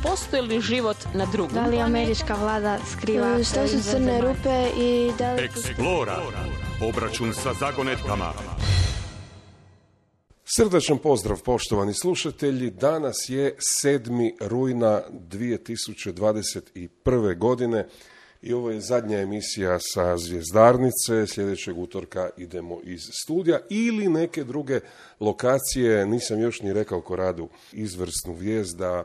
postoji li život na drugom? Da li američka vlada skriva šta su crne rupe i da li... Explora. Obračun sa zagonetkama. Srdačan pozdrav, poštovani slušatelji. Danas je 7. rujna 2021. godine i ovo je zadnja emisija sa Zvjezdarnice. Sljedećeg utorka idemo iz studija ili neke druge lokacije. Nisam još ni rekao ko radu izvrsnu vijest da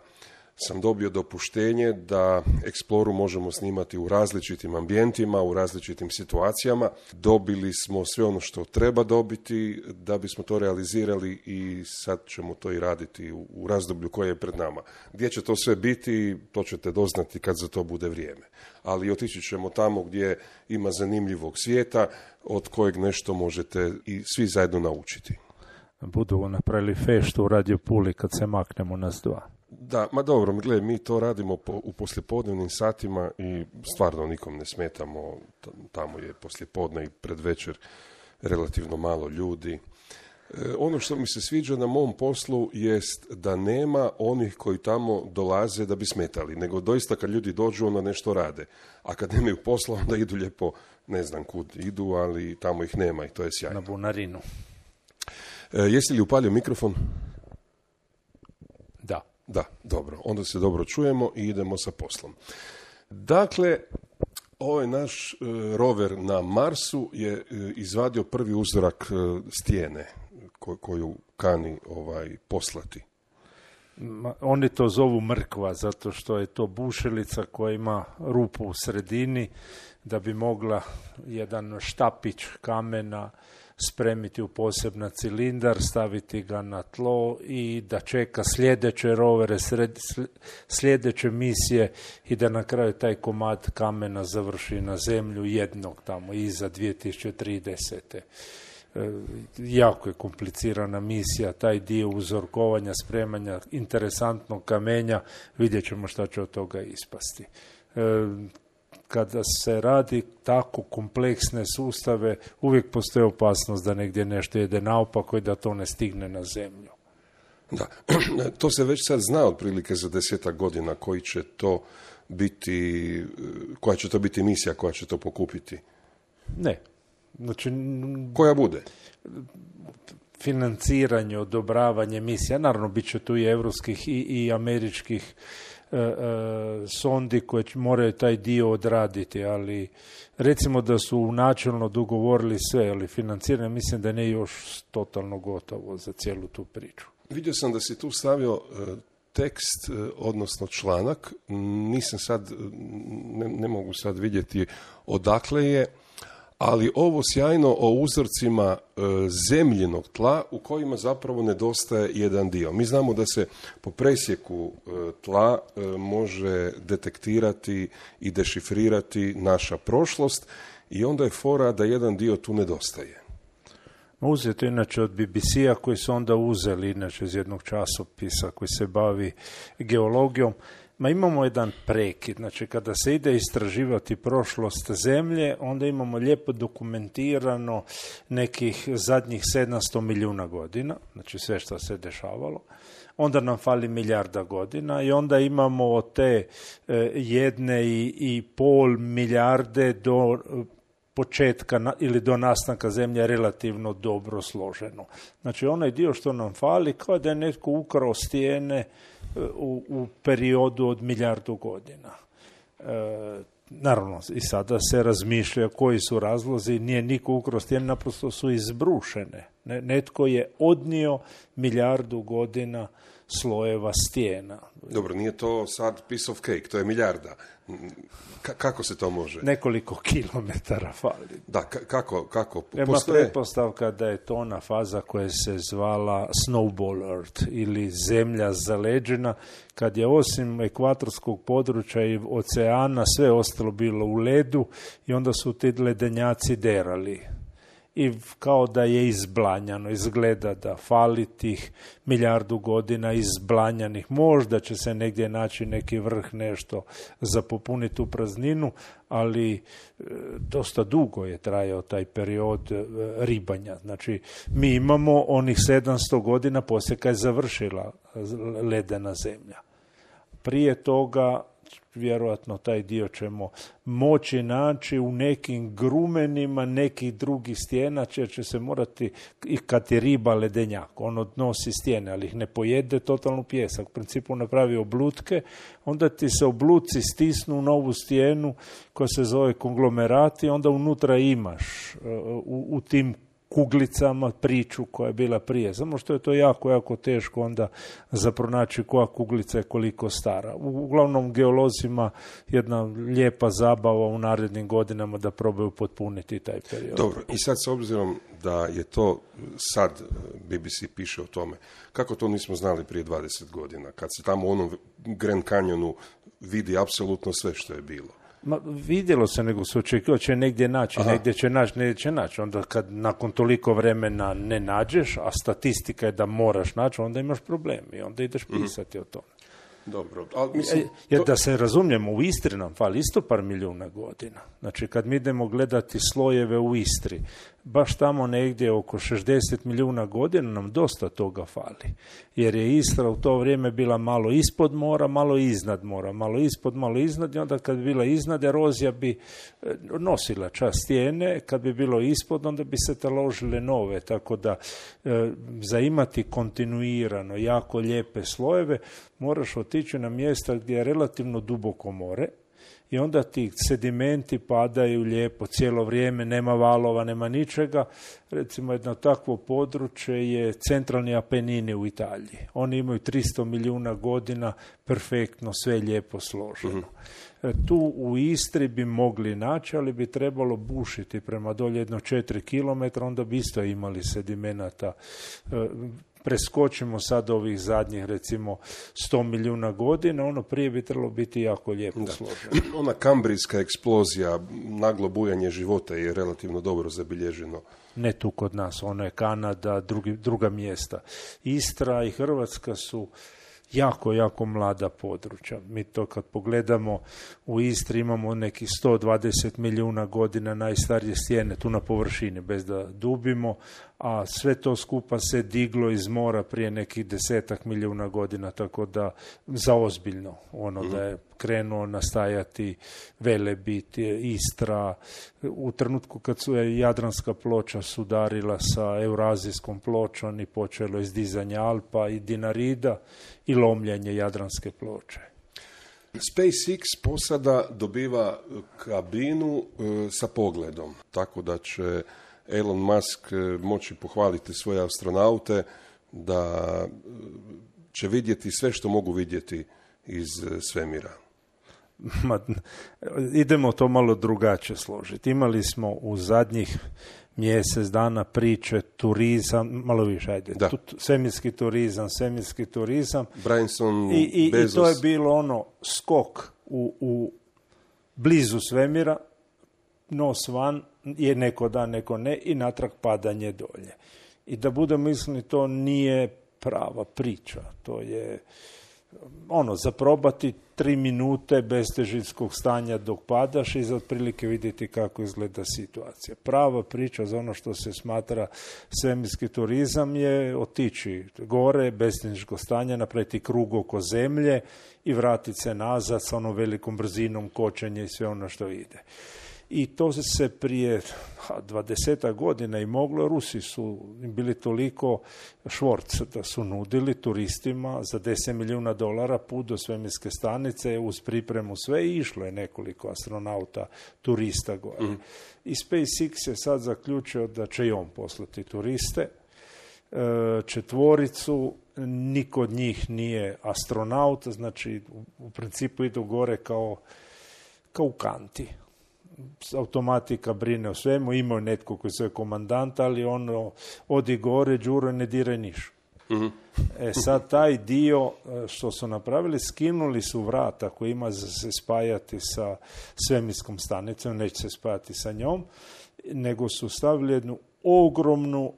sam dobio dopuštenje da Exploru možemo snimati u različitim ambijentima, u različitim situacijama. Dobili smo sve ono što treba dobiti da bismo to realizirali i sad ćemo to i raditi u razdoblju koje je pred nama. Gdje će to sve biti, to ćete doznati kad za to bude vrijeme. Ali otići ćemo tamo gdje ima zanimljivog svijeta od kojeg nešto možete i svi zajedno naučiti. Budu napravili feštu u Radio Puli kad se maknemo nas dva. Da, ma dobro, gledaj, mi to radimo u poslijepodnevnim satima i stvarno nikom ne smetamo, tamo je poslijepodne i predvečer relativno malo ljudi. Ono što mi se sviđa na mom poslu jest da nema onih koji tamo dolaze da bi smetali, nego doista kad ljudi dođu onda nešto rade, a kad nemaju posla onda idu lijepo, ne znam kud idu, ali tamo ih nema i to je sjajno. Na bunarinu. Jesi li upalio mikrofon? Da. Da, dobro. Onda se dobro čujemo i idemo sa poslom. Dakle, ovaj naš rover na Marsu je izvadio prvi uzorak stijene koju kani poslati. Oni to zovu mrkva, zato što je to bušilica koja ima rupu u sredini, da bi mogla jedan štapić kamena spremiti u poseban cilindar, staviti ga na tlo i da čeka sljedeće rovere, sljedeće misije i da na kraju taj komad kamena završi na zemlju jednog tamo iza 2030. Jako je komplicirana misija, taj dio uzorkovanja, spremanja interesantnog kamenja, vidjet ćemo šta će od toga ispasti. Kada se radi tako kompleksne sustave, uvijek postoji opasnost da negdje nešto ide naopako i da to ne stigne na zemlju. Da, to se već sad zna otprilike za 10 godina koja će to biti misija koja će to pokupiti. Ne. Znači, koja bude? Financiranje, odobravanje misija, naravno bit će tu i evropskih i američkih sondi koje moraju taj dio odraditi, ali recimo da su načelno dogovorili sve, ali financiranje mislim da ne još totalno gotovo za cijelu tu priču. Vidio sam da si tu stavio tekst, odnosno članak, nisam sad, ne mogu sad vidjeti odakle je, ali ovo sjajno o uzorcima zemljinog tla u kojima zapravo nedostaje jedan dio. Mi znamo da se po presjeku tla može detektirati i dešifrirati naša prošlost i onda je fora da jedan dio tu nedostaje. Uzeto inače od BBC-a koji su onda uzeli inače iz jednog časopisa koji se bavi geologijom. Imamo jedan prekid, znači kada se ide istraživati prošlost zemlje, onda imamo lijepo dokumentirano nekih zadnjih 700 milijuna godina, znači sve što se dešavalo. Onda nam fali milijarda godina i onda imamo od te 1,5 milijarde do početka ili do nastanka zemlje relativno dobro složeno. Znači onaj dio što nam fali kao da je netko ukrao stijene u periodu od milijardu godina. Naravno, i sada se razmišlja koji su razlozi, nije niko ukrao stijene, naprosto su izbrušene. Netko je odnio milijardu godina slojeva stijena. Dobro, nije to sad piece of cake, to je milijarda. Kako se to može? Nekoliko kilometara fali. Da, kako? Ima pretpostavka da je to ona faza koja se zvala Snowball Earth ili zemlja zaleđena, kad je osim ekvatorskog područja i oceana sve ostalo bilo u ledu i onda su ti ledenjaci derali. I kao da je izblanjano, izgleda da fali tih milijardu godina izblanjanih. Možda će se negdje naći neki vrh, nešto za popuniti tu prazninu, ali dosta dugo je trajao taj period ribanja. Znači, mi imamo onih 700 godina poslije kad je završila ledena zemlja. Prije toga vjerojatno taj dio ćemo moći naći u nekim grumenima nekih drugih stijena, jer će se morati, i kad je riba ledenjak, on odnosi stijene, ali ih ne pojede totalno pijesak. U principu napravi oblutke, onda ti se obluci stisnu u novu stijenu koja se zove konglomerati, onda unutra imaš u tim kuglicama priču koja je bila prije. Samo što je to jako, jako teško onda za pronaći koja kuglica je koliko stara. Uglavnom geolozima jedna lijepa zabava u narednim godinama da probaju potpuniti taj period. Dobro, i sad s obzirom da je to sad BBC piše o tome, kako to nismo znali prije 20 godina, kad se tamo u onom Grand Canyonu vidi apsolutno sve što je bilo? Ma, vidjelo se, nego se očekivao će negdje naći, negdje će naći. Onda kad nakon toliko vremena ne nađeš, a statistika je da moraš naći, onda imaš problem i onda ideš pisati o tome. Dobro, ali mislim... Jer da se razumijemo, u Istri nam fali isto par milijuna godina. Znači, kad mi idemo gledati slojeve u Istri, baš tamo negdje oko 60 milijuna godina nam dosta toga fali. Jer je Istra u to vrijeme bila malo ispod mora, malo iznad mora, malo ispod, malo iznad, i onda kad bi bila iznad, erozija bi nosila čas stijene, kad bi bilo ispod, onda bi se taložile nove, tako da za imati kontinuirano jako lijepe slojeve, moraš otići na mjesta gdje je relativno duboko more, i onda ti sedimenti padaju lijepo cijelo vrijeme, nema valova, nema ničega. Recimo jedno takvo područje je centralni Apenini u Italiji. Oni imaju 300 milijuna godina, perfektno, sve lijepo složeno. Tu u Istri bi mogli naći, ali bi trebalo bušiti prema dolje jedno 4 km, onda bi isto imali sedimenata. Preskočimo sad ovih zadnjih, recimo, 100 milijuna godina, ono prije bi trebalo biti jako lijepo složeno. Ona kambrijska eksplozija, naglo bujanje života je relativno dobro zabilježeno. Ne tu kod nas, ono je Kanada, druga mjesta. Istra i Hrvatska su jako, jako mlada područja. Mi to kad pogledamo, u Istri imamo nekih 120 milijuna godina najstarije stijene, tu na površini, bez da dubimo, a sve to skupa se diglo iz mora prije nekih 10 milijuna godina, tako da zaozbiljno da je krenuo nastajati Velebit, Istra, u trenutku kad su Jadranska ploča sudarila sa Eurazijskom pločom i počelo izdizanje Alpa i Dinarida i lomljanje Jadranske ploče. SpaceX posada dobiva kabinu sa pogledom, tako da će Elon Musk moći pohvaliti svoje astronaute da će vidjeti sve što mogu vidjeti iz svemira. Idemo to malo drugačije složiti. Imali smo u zadnjih mjesec dana priče, turizam, malo više, ajde, svemirski turizam. Branson, I Bezos. I to je bilo skok u blizu svemira, nos van, je neko da, neko ne, i natrag padanje dolje. I da budemo iskreni, to nije prava priča. To je za probati 3 minute bez težinskog stanja dok padaš i za otprilike vidjeti kako izgleda situacija. Prava priča za ono što se smatra svemirski turizam je otići gore bez težinskog stanja, napraviti krug oko zemlje i vratiti se nazad sa onom velikom brzinom kočenja i sve ono što ide. I to se prije 20 godina i moglo. Rusi su bili toliko švorc da su nudili turistima za $10 milijuna put do svemirske stanice uz pripremu sve, i išlo je nekoliko astronauta, turista gore. I SpaceX je sad zaključio da će i on poslati turiste. 4, niko od njih nije astronaut, znači u principu idu gore kao u kanti. Automatika brine o svemu, imao netko koji se je komandant, ali odi gore, Đuro, ne diraj niš. Sad taj dio što su napravili, skinuli su vrata koji ima za se spajati sa svemirskom stanicom, neće se spajati sa njom, nego su stavili jednu ogromnu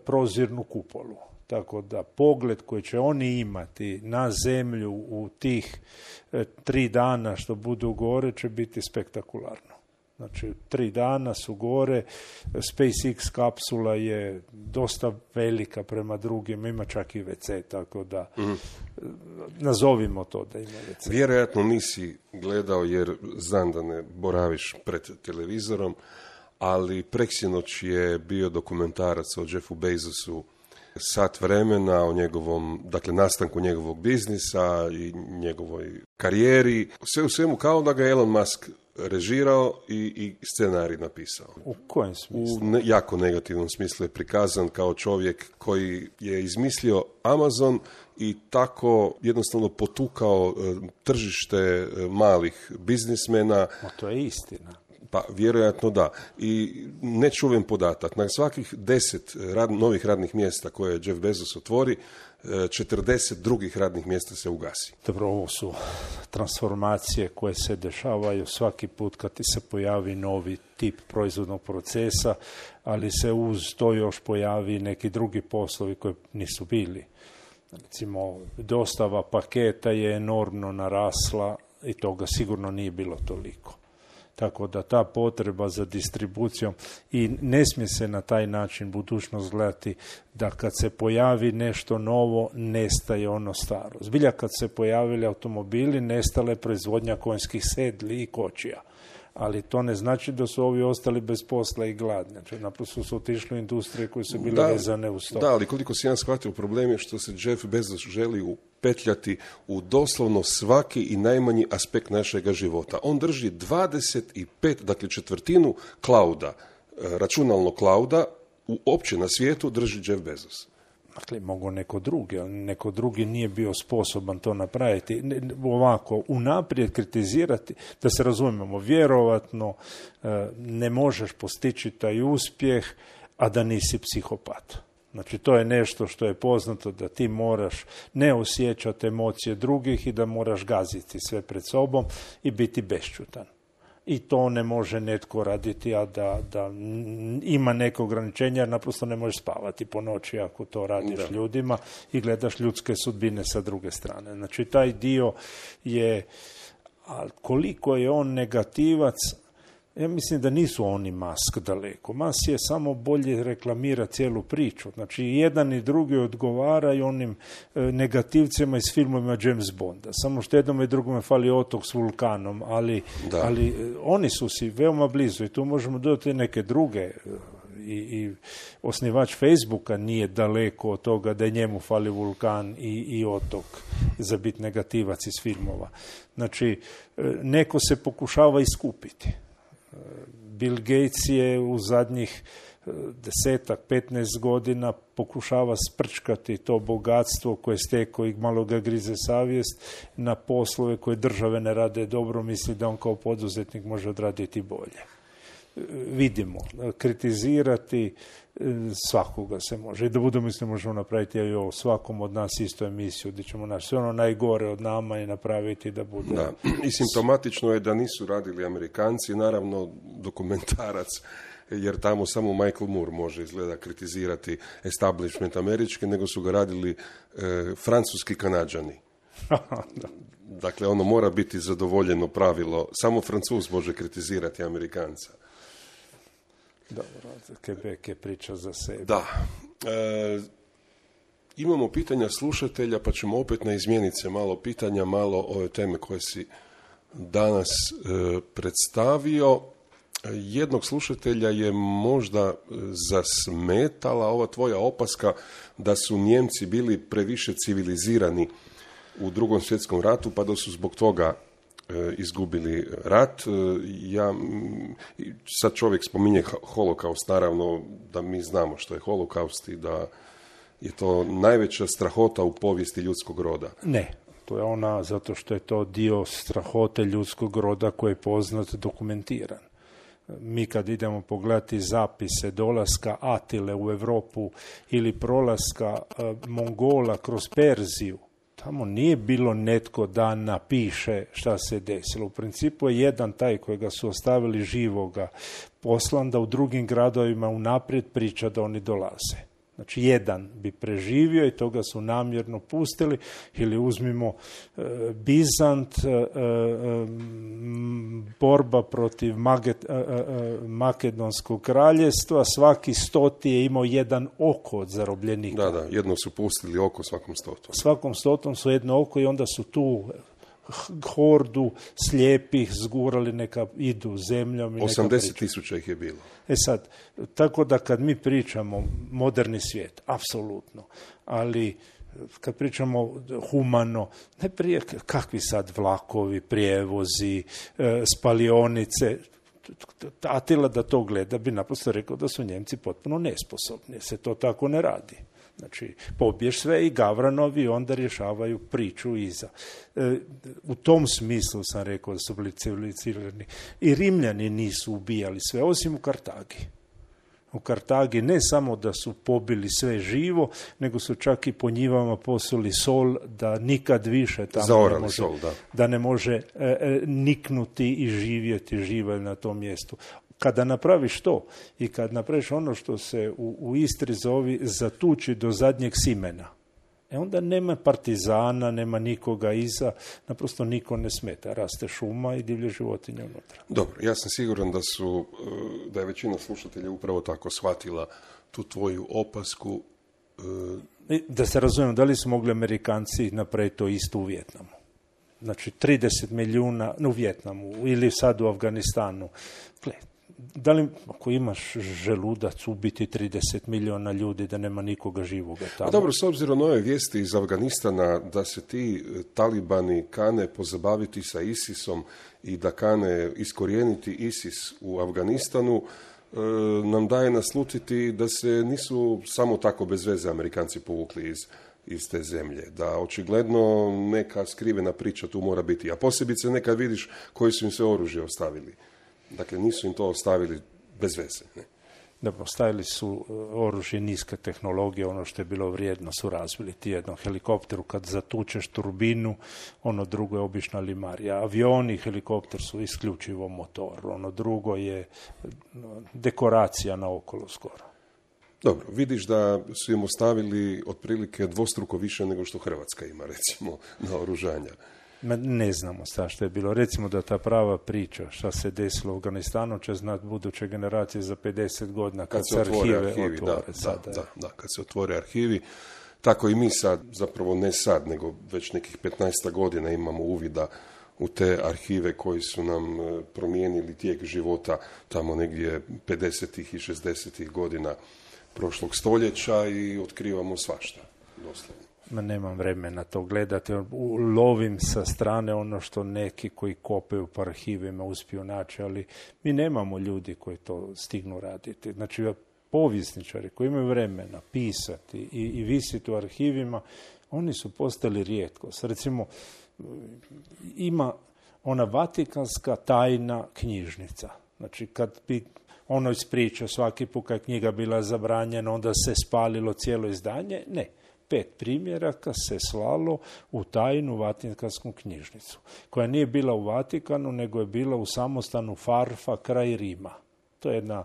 prozirnu kupolu. Tako da pogled koji će oni imati na zemlju u tih 3 dana što budu gore će biti spektakularno. Znači, 3 dana su gore, SpaceX kapsula je dosta velika prema drugim, ima čak i WC, tako da nazovimo to da ima WC. Vjerojatno nisi gledao jer znam da ne boraviš pred televizorom, ali preksinoć je bio dokumentarac o Jeffu Bezosu, sat vremena o njegovom, dakle, nastanku njegovog biznisa i njegovoj karijeri. Sve u svemu kao da ga je Elon Musk režirao i scenarij napisao. U kojem smislu? U jako negativnom smislu je prikazan kao čovjek koji je izmislio Amazon i tako jednostavno potukao tržište malih biznismena. To je istina. Pa, vjerojatno da. I nečuven podatak. Na svakih 10 novih radnih mjesta koje Jeff Bezos otvori, 40 drugih radnih mjesta se ugasi. Dobro, ovo su transformacije koje se dešavaju svaki put kad ti se pojavi novi tip proizvodnog procesa, ali se uz to još pojavi neki drugi poslovi koji nisu bili. Recimo, dostava paketa je enormno narasla i toga sigurno nije bilo toliko. Tako da ta potreba za distribucijom i ne smije se na taj način budućnost gledati da kad se pojavi nešto novo, nestaje ono staro. Zbilja kad se pojavili automobili, nestala je proizvodnja konjskih sedli i kočija. Ali to ne znači da su ovi ostali bez posla i gladni. Znači, naprosto su otišli u industrije koje su bile vezane uz to. Da, ali koliko si ja shvatio, problem je što se Jeff Bezos želi upetljati u doslovno svaki i najmanji aspekt našega života. On drži 25, dakle četvrtinu clouda, računalnog clouda, uopće na svijetu drži Jeff Bezos. Dakle, mogu neko drugi nije bio sposoban to napraviti. Ovako, unaprijed kritizirati, da se razumijemo, vjerovatno ne možeš postići taj uspjeh, a da nisi psihopat. Znači, to je nešto što je poznato, da ti moraš ne osjećati emocije drugih i da moraš gaziti sve pred sobom i biti bešćutan. I to ne može netko raditi, a da ima neko ograničenja, jer naprosto ne možeš spavati po noći ako to radiš ljudima i gledaš ljudske sudbine sa druge strane. Znači, taj dio je, ali koliko je on negativac, ja mislim da nisu oni Musk daleko. Musk je samo bolje reklamira cijelu priču. Znači, jedan i drugi odgovaraju onim negativcima iz filmova James Bonda. Samo što jednom i drugome fali otok s vulkanom, ali oni su si veoma blizu i tu možemo dodati neke druge. I osnivač Facebooka nije daleko od toga da je njemu fali vulkan i otok za biti negativac iz filmova. Znači, neko se pokušava iskupiti. Bill Gates je u zadnjih 10-15 godina pokušava sprčkati to bogatstvo koje stekao i malo ga grize savjest na poslove koje države ne rade dobro, misli da on kao poduzetnik može odraditi bolje. Vidimo, kritizirati svakoga se može. I da budemo isto možemo napraviti i o svakom od nas isto emisiju gdje ćemo naći sve ono najgore od nama i napraviti da bude... Da. I simptomatično je da nisu radili Amerikanci, naravno dokumentarac, jer tamo samo Michael Moore može izgleda kritizirati establishment američki, nego su ga radili francuski Kanađani. Dakle, ono mora biti zadovoljeno pravilo. Samo Francuz može kritizirati Amerikanca. Dobro, Quebec je priča za sebe. Da. Imamo pitanja slušatelja, pa ćemo opet izmijeniti se malo pitanja, malo ove teme koje si danas predstavio. Jednog slušatelja je možda zasmetala ova tvoja opaska da su Njemci bili previše civilizirani u Drugom svjetskom ratu, pa da su zbog toga izgubili rat. Sad čovjek spominje holokaust, naravno da mi znamo što je holokaust i da je to najveća strahota u povijesti ljudskog roda. Ne, to je ona zato što je to dio strahote ljudskog roda koji je poznat, dokumentiran. Mi kad idemo pogledati zapise dolaska Atile u Europu ili prolaska Mongola kroz Perziju, tamo nije bilo netko da napiše šta se desilo. U principu je jedan taj kojega su ostavili živoga poslan da u drugim gradovima unaprijed priča da oni dolaze. Znači, jedan bi preživio i toga su namjerno pustili. Ili uzmimo Bizant, borba protiv Makedonskog kraljevstva, svaki 100 je imao jedan oko od zarobljenika. Da, jedno su pustili oko svakom 100. Svakom 100 su jedno oko i onda su tu hordu slijepih zgurali, neka idu zemljom. 80,000 ih je bilo. Sad, tako da kad mi pričamo moderni svijet, apsolutno, ali kad pričamo humano, ne prije kakvi sad vlakovi, prijevozi, spalionice, Atila da to gleda bi naprosto rekao da su Njemci potpuno nesposobni, se to tako ne radi. Znači, pobiješ sve i Gavranovi onda rješavaju priču iza. U tom smislu sam rekao da su bili civilizirani. I Rimljani nisu ubijali sve, osim u Kartagi. U Kartagi ne samo da su pobili sve živo, nego su čak i po njivama posuli sol da nikad više tamo ne može, sol, da ne može niknuti i živjeti živalj na tom mjestu. Kada napraviš to i kad napraviš ono što se u Istri zovi zatuči do zadnjeg simena, onda nema partizana, nema nikoga iza, naprosto niko ne smeta. Raste šuma i divlje životinje unutra. Dobro, ja sam siguran da je većina slušatelja upravo tako shvatila tu tvoju opasku. Da se razumijemo, da li su mogli Amerikanci napraviti to isto u Vijetnamu? Znači, 30 milijuna u Vijetnamu ili sad u Afganistanu. Da li, ako imaš želudac, ubiti 30 milijuna ljudi da nema nikoga živoga tamo? Dobro, s obzirom na ove vijesti iz Afganistana da se ti talibani kane pozabaviti sa ISIS-om i da kane iskorijeniti ISIS u Afganistanu, nam daje naslutiti da se nisu samo tako bez veze Amerikanci povukli iz te zemlje. Da očigledno neka skrivena priča tu mora biti. A posebice nekad vidiš koji su im sve oružje ostavili. Dakle, nisu im to ostavili bez veze. Ne? Da, postavili su oružje niske tehnologije, ono što je bilo vrijedno su razvili. Ti jednom helikopteru kad zatučeš turbinu, ono drugo je obična limarija. Avioni i helikopter su isključivo motor, ono drugo je dekoracija naokolo skoro. Dobro, vidiš da su im ostavili otprilike dvostruko više nego što Hrvatska ima, recimo, na oružanja. Ne znamo sad što je bilo. Recimo da ta prava priča šta se desilo u Afganistanu će znati buduće generacije za 50 godina kad se arhive otvore. Da, kad se otvore arhivi. Tako i mi sad, zapravo ne sad, nego već nekih 15 godina imamo uvida u te arhive koji su nam promijenili tijek života tamo negdje 50. i 60. godina prošlog stoljeća i otkrivamo svašta, doslovno. Nemam vremena to gledati, lovim sa strane ono što neki koji kopaju po arhivima uspiju naći, ali mi nemamo ljudi koji to stignu raditi. Znači, povjesničari koji imaju vremena pisati i visiti u arhivima, oni su postali rijetkost. Recimo, ima ona Vatikanska tajna knjižnica. Znači, kad bi ono ispričao svaki put kad knjiga bila zabranjena, onda se spalilo cijelo izdanje, ne. 5 primjeraka se slalo u tajnu Vatikansku knjižnicu, koja nije bila u Vatikanu, nego je bila u samostanu Farfa kraj Rima. To je jedna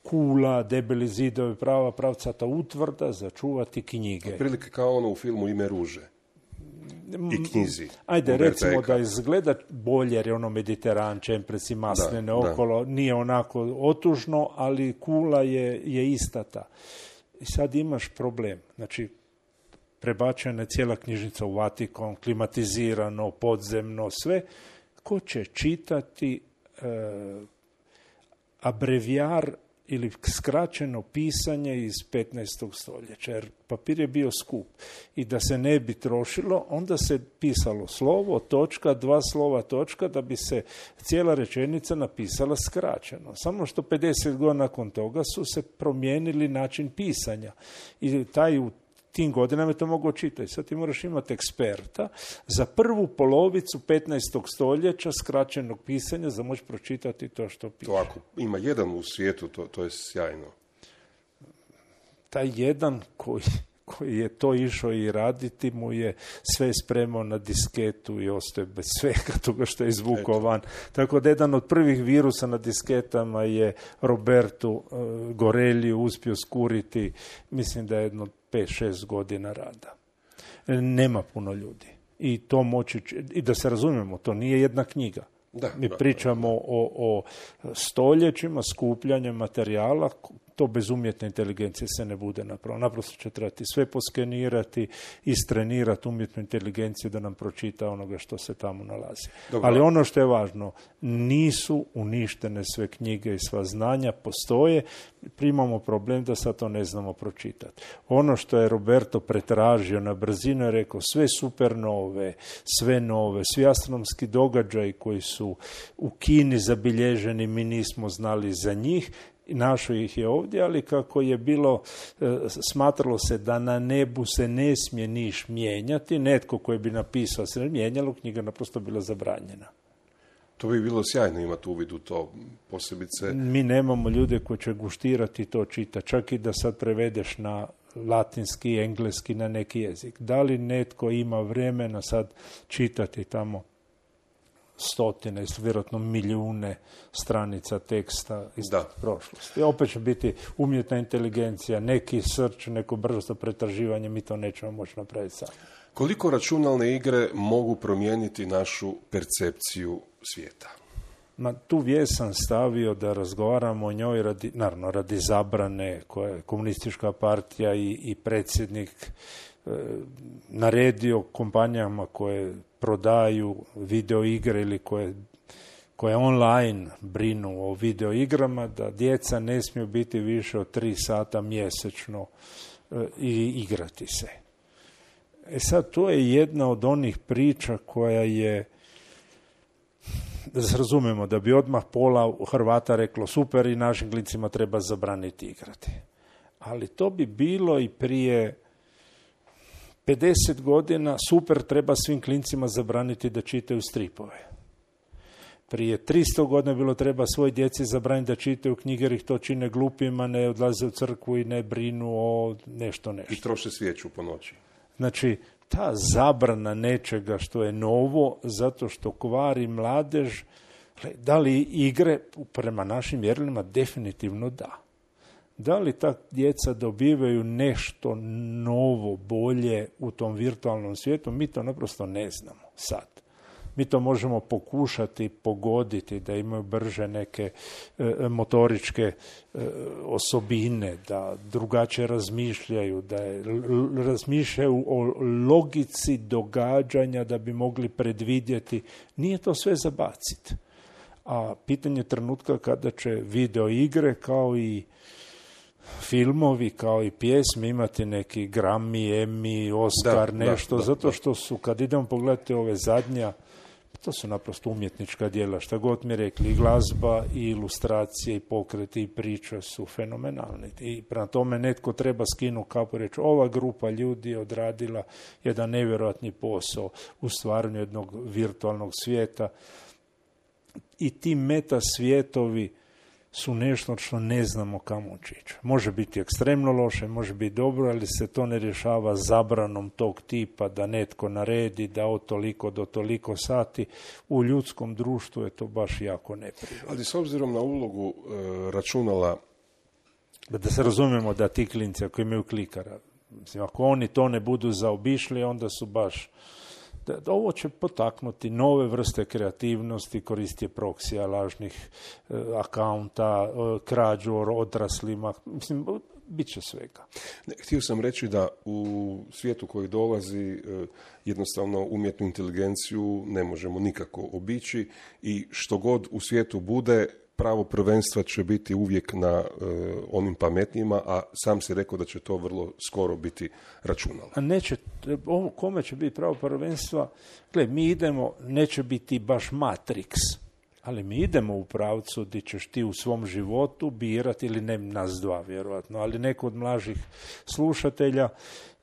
kula, debeli zidovi, pravcata utvrda za čuvati knjige. Prilike kao ono u filmu Ime ruže i knjizi. Ajde, recimo da izgleda bolje, jer je ono Mediteran, čempreci, masline okolo, nije onako otužno, ali kula je ista ta. I sad imaš problem. Znači, prebačena je cijela knjižnica u Vatikan, klimatizirano, podzemno, sve. Ko će čitati abrevijar ili skraćeno pisanje iz 15. stoljeća, jer papir je bio skup. I da se ne bi trošilo, onda se pisalo slovo, točka, 2 slova, točka, da bi se cijela rečenica napisala skraćeno. Samo što 50 godina nakon toga su se promijenili način pisanja. I u tim godinama je to mogao čitati. Sad ti moraš imati eksperta za prvu polovicu 15. stoljeća skraćenog pisanja za moći pročitati to što piše. To ako ima jedan u svijetu, to je sjajno. Taj jedan koji je to išao i raditi mu je sve spremao na disketu i ostaje bez svega toga što je izvukao van. Tako da jedan od prvih virusa na disketama je Robertu Goreliju uspio skuriti, mislim da je jedno 5-6 godina rada. Nema puno ljudi. I to moći, i da se razumijemo, to nije jedna knjiga. Mi pričamo o stoljećima skupljanja materijala, to bez umjetne inteligencije se ne bude napravilo. Naprosto će trebati sve poskenirati, istrenirati umjetnu inteligenciju da nam pročita onoga što se tamo nalazi. Dobro. Ali ono što je važno, nisu uništene sve knjige i sva znanja, postoje, primamo problem da sad to ne znamo pročitati. Ono što je Roberto pretražio na brzinu je rekao sve supernove, sve nove, svi astronomski događaji koji su u Kini zabilježeni, mi nismo znali za njih, našao ih je ovdje, ali kako je bilo, smatralo se da na nebu se ne smije niš mijenjati, netko koji bi napisao se ne mijenjalo, knjiga naprosto bila zabranjena. To bi bilo sjajno imati uvid u to, posebice. Mi nemamo ljude koji će guštirati to čita, čak i da sad prevedeš na latinski, engleski, na neki jezik. Da li netko ima vremena sad čitati tamo stotine, vjerojatno milijune stranica teksta iz prošlosti. Opet će biti umjetna inteligencija, neki search, neko brzo pretraživanje, mi to nećemo moći napraviti sami. Koliko računalne igre mogu promijeniti našu percepciju svijeta? Tu vijest sam stavio da razgovaramo o njoj radi zabrane koje je komunistička partija i predsjednik naredio kompanijama koje prodaju video igre ili koje online brinu o video igrama, da djeca ne smiju biti više od 3 sata mjesečno i igrati se. Sad, to je jedna od onih priča koja je, da se razumemo, da bi odmah pola Hrvata reklo super i našim klincima treba zabraniti igrati. Ali to bi bilo i prije 50 godina, super, treba svim klincima zabraniti da čitaju stripove. Prije 300 godina bilo treba svoj djeci zabraniti da čitaju knjige jer ih to čine glupima, ne odlaze u crkvu i ne brinu o nešto. I troše svijeću po noći. Znači, ta zabrana nečega što je novo, zato što kvari mladež, da li igre prema našim mjerilima definitivno da. Da li ta djeca dobivaju nešto novo, bolje u tom virtualnom svijetu, mi to naprosto ne znamo sad. Mi to možemo pokušati pogoditi, da imaju brže neke motoričke osobine, da drugačije razmišljaju, da razmišljaju o logici događanja da bi mogli predvidjeti. Nije to sve za baciti. A pitanje trenutka kada će video igre kao i filmovi, kao i pjesme imati neki Grammy, Emmy, Oscar, zato što su, kad idemo pogledati ove zadnja, to su naprosto umjetnička djela, šta god mi rekli, i glazba, i ilustracije, i pokreti, i priče su fenomenalni. I prema tome netko treba skinuti kapu i reći, ova grupa ljudi je odradila jedan nevjerojatni posao u stvaranju jednog virtualnog svijeta. I ti meta svijetovi su nešto što ne znamo kamo ići. Može biti ekstremno loše, može biti dobro, ali se to ne rješava zabranom tog tipa da netko naredi da od toliko do toliko sati. U ljudskom društvu je to baš jako neprirodno. Ali s obzirom na ulogu računala... Da se razumijemo da ti klinci ako imaju klikara, mislim, ako oni to ne budu zaobišli, onda su baš... Ovo će potaknuti nove vrste kreativnosti, koristije proksija, lažnih akaunta, krađu odraslima, mislim, bit će svega. Htio sam reći da u svijetu koji dolazi jednostavno umjetnu inteligenciju ne možemo nikako obići i što god u svijetu bude, pravo prvenstva će biti uvijek na onim pametnijima, a sam si rekao da će to vrlo skoro biti računalo. A neće, kome će biti pravo prvenstva? Gle, mi idemo, neće biti baš Matrix, Ali mi idemo u pravcu gdje ćeš ti u svom životu birati, ili ne nas dva vjerojatno, ali neko od mlađih slušatelja,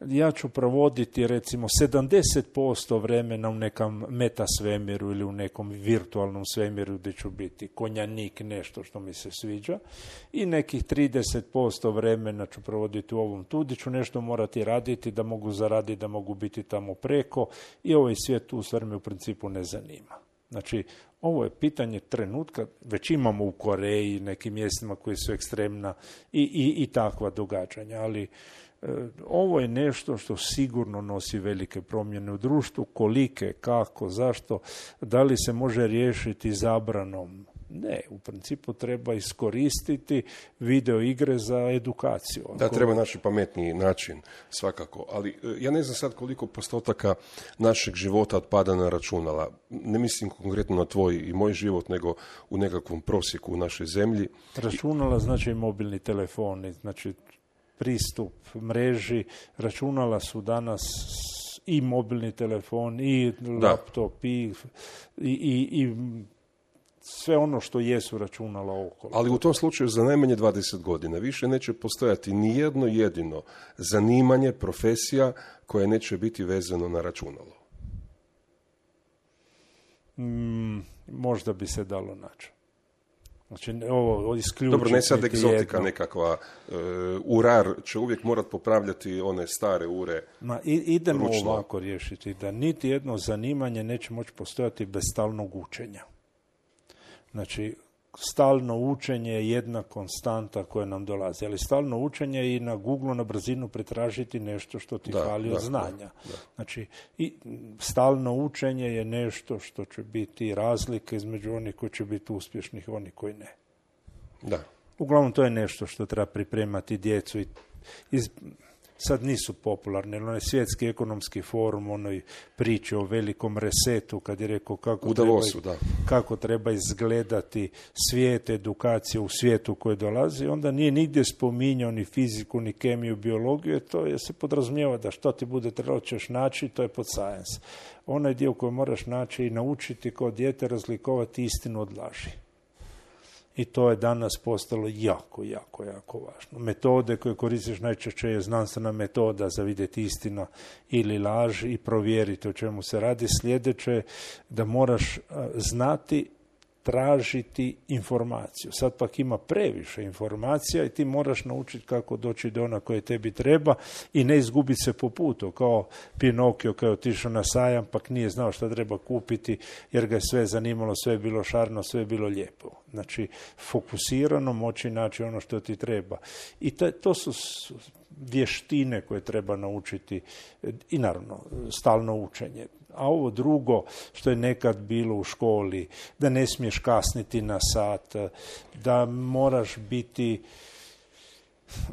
ja ću provoditi recimo 70% vremena u nekom meta svemiru ili u nekom virtualnom svemiru gdje ću biti konjanik, nešto što mi se sviđa, i nekih 30% vremena ću provoditi u ovom tu, gdje ću nešto morati raditi da mogu zaraditi, da mogu biti tamo preko, i ovaj svijet u stvari me u principu ne zanima. Znači, ovo je pitanje trenutka, već imamo u Koreji, nekim mjestima koji su ekstremna i takva događanja, ali ovo je nešto što sigurno nosi velike promjene u društvu. Kolike, kako, zašto, da li se može riješiti zabranom? Ne, u principu treba iskoristiti video igre za edukaciju. Da, treba naći pametniji način, svakako. Ali ja ne znam sad koliko postotaka našeg života otpada na računala. Ne mislim konkretno na tvoj i moj život, nego u nekakvom prosjeku u našoj zemlji. Računala znači i mobilni telefoni, znači pristup mreži. Računala su danas i mobilni telefon, i laptop, i sve ono što jesu računala okolo. Ali u tom slučaju za najmanje 20 godina više neće postojati ni jedno jedino zanimanje, profesija koje neće biti vezano na računalo. Možda bi se dalo naći. Znači, ovo isključiti. Dobro, ne sad egzotika nekakva. Urar će uvijek morati popravljati one stare ure. Idemo ručno. Ovako riješiti, da niti jedno zanimanje neće moći postojati bez stalnog učenja. Znači, stalno učenje je jedna konstanta koja nam dolazi, ali stalno učenje i na Google na brzinu pretražiti nešto što ti fali od znanja. Da. Znači, i stalno učenje je nešto što će biti razlika između onih koji će biti uspješnih i onih koji ne. Da. Uglavnom, to je nešto što treba pripremati djecu i sad nisu popularni, ali onaj svjetski ekonomski forum, onoj priči o velikom resetu, kad je rekao kako treba izgledati svijet, edukacija u svijetu koji dolazi, onda nije nigdje spominjao ni fiziku, ni kemiju, biologiju, to je se podrazumijeva da što ti bude trebalo ćeš naći, to je pod science. Onaj dio koji moraš naći i naučiti kao dijete razlikovati istinu od laži. I to je danas postalo jako, jako, jako važno. Metode koje koristiš najčešće je znanstvena metoda za vidjeti istina ili laž i provjeriti o čemu se radi. Sljedeće da moraš znati tražiti informaciju. Sad pak ima previše informacija i ti moraš naučiti kako doći do ona koje tebi treba i ne izgubiti se po putu, kao Pinokio koji je otišao na sajam, pak nije znao šta treba kupiti jer ga je sve zanimalo, sve je bilo šarno, sve je bilo lijepo. Znači, fokusirano moći naći ono što ti treba. I to su vještine koje treba naučiti i naravno stalno učenje. A ovo drugo što je nekad bilo u školi, da ne smiješ kasniti na sat, da moraš biti,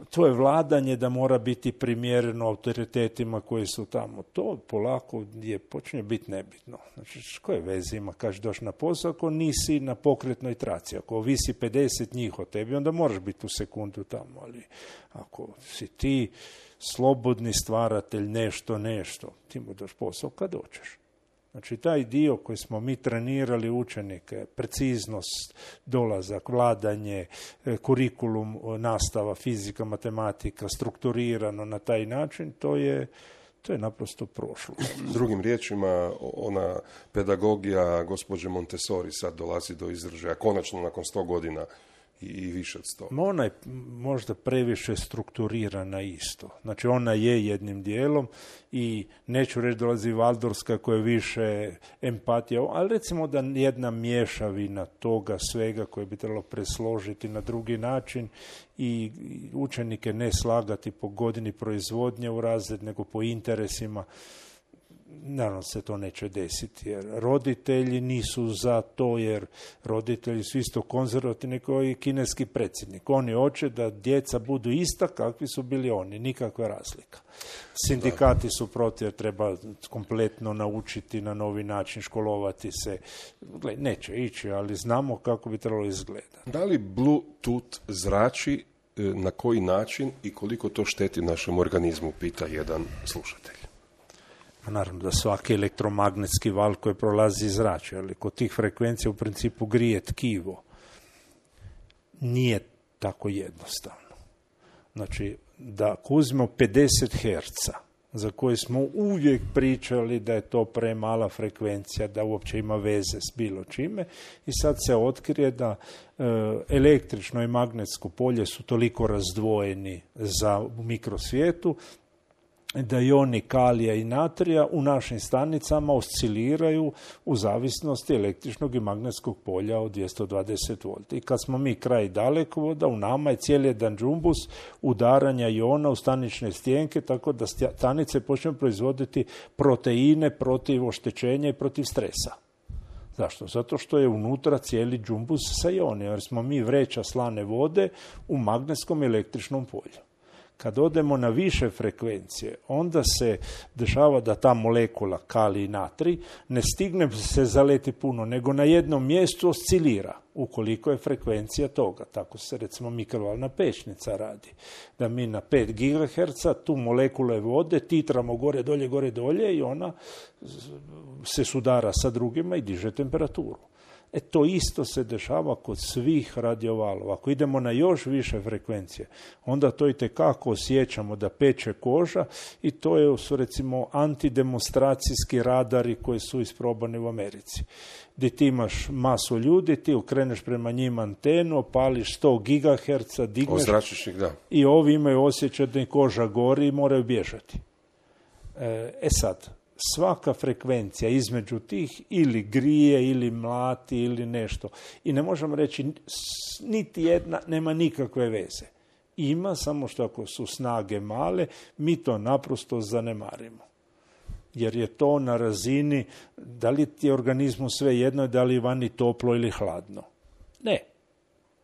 to je vladanje da mora biti primjereno autoritetima koji su tamo. To polako počinje biti nebitno. Znači, koje veze ima, kažeš doći na posao ako nisi na pokretnoj traci. Ako visi 50 njih od tebi, onda moraš biti u sekundu tamo. Ali ako si ti slobodni stvaratelj nešto, ti mu daš posao kad doćeš. Znači, taj dio koji smo mi trenirali učenike, preciznost, dolazak, vladanje, kurikulum, nastava, fizika, matematika, strukturirano na taj način, to je naprosto prošlo. Drugim riječima, ona pedagogija gospođe Montessori sad dolazi do izražaja, konačno nakon 100 godina i više od 100. Ona je možda previše strukturirana isto. Znači, ona je jednim dijelom i neću reći dolazi Valdorska koja je više empatija, ali recimo da jedna mješavina toga svega koje bi trebalo presložiti na drugi način i učenike ne slagati po godini proizvodnje u razred, nego po interesima. Naravno se to neće desiti, jer roditelji nisu za to, jer roditelji su isto konzervativni kao i kineski predsjednik. Oni hoće da djeca budu ista kakvi su bili oni, nikakva razlika. Sindikati su protiv, jer treba kompletno naučiti na novi način, školovati se. Neće ići, ali znamo kako bi trebalo izgledati. Da li Bluetooth zrači, na koji način i koliko to šteti našem organizmu, pita jedan slušatelj. Naravno da svaki elektromagnetski val koji prolazi zrači, ali kod tih frekvencija u principu grije tkivo. Nije tako jednostavno. Znači, da ako uzmemo 50 Hz, za koje smo uvijek pričali da je to premala frekvencija, da uopće ima veze s bilo čime, i sad se otkrije da električno i magnetsko polje su toliko razdvojeni za mikrosvijetu, da ioni kalija i natrija u našim stanicama osciliraju u zavisnosti električnog i magnetskog polja od 220 volti. I kad smo mi kraj dalekovoda, u nama je cijeli jedan džumbus udaranja iona u stanične stijenke, tako da stanice počnu proizvoditi proteine protiv oštećenja i protiv stresa. Zašto? Zato što je unutra cijeli džumbus sa ionima, jer smo mi vreća slane vode u magnetskom i električnom polju. Kad odemo na više frekvencije, onda se dešava da ta molekula kalij i natrij ne stigne se zaleti puno, nego na jednom mjestu oscilira, ukoliko je frekvencija toga. Tako se recimo mikrovalna pećnica radi. Da mi na 5 GHz tu molekule vode titramo gore, dolje i ona se sudara sa drugima i diže temperaturu. To isto se dešava kod svih radiovalova. Ako idemo na još više frekvencije, onda to itekako osjećamo da peče koža, i to su recimo antidemonstracijski radari koji su isprobani u Americi. Gdje ti imaš masu ljudi, ti okreneš prema njima antenu, opališ 100 GHz, digneš, ozračiš, da. I ovi imaju osjećaj da im koža gori i moraju bježati. Sad, svaka frekvencija između tih ili grije, ili mlati, ili nešto. I ne možemo reći, niti jedna nema nikakve veze. Ima, samo što ako su snage male, mi to naprosto zanemarimo. Jer je to na razini, da li ti je organizmu sve jedno, da li je vani toplo ili hladno. Ne.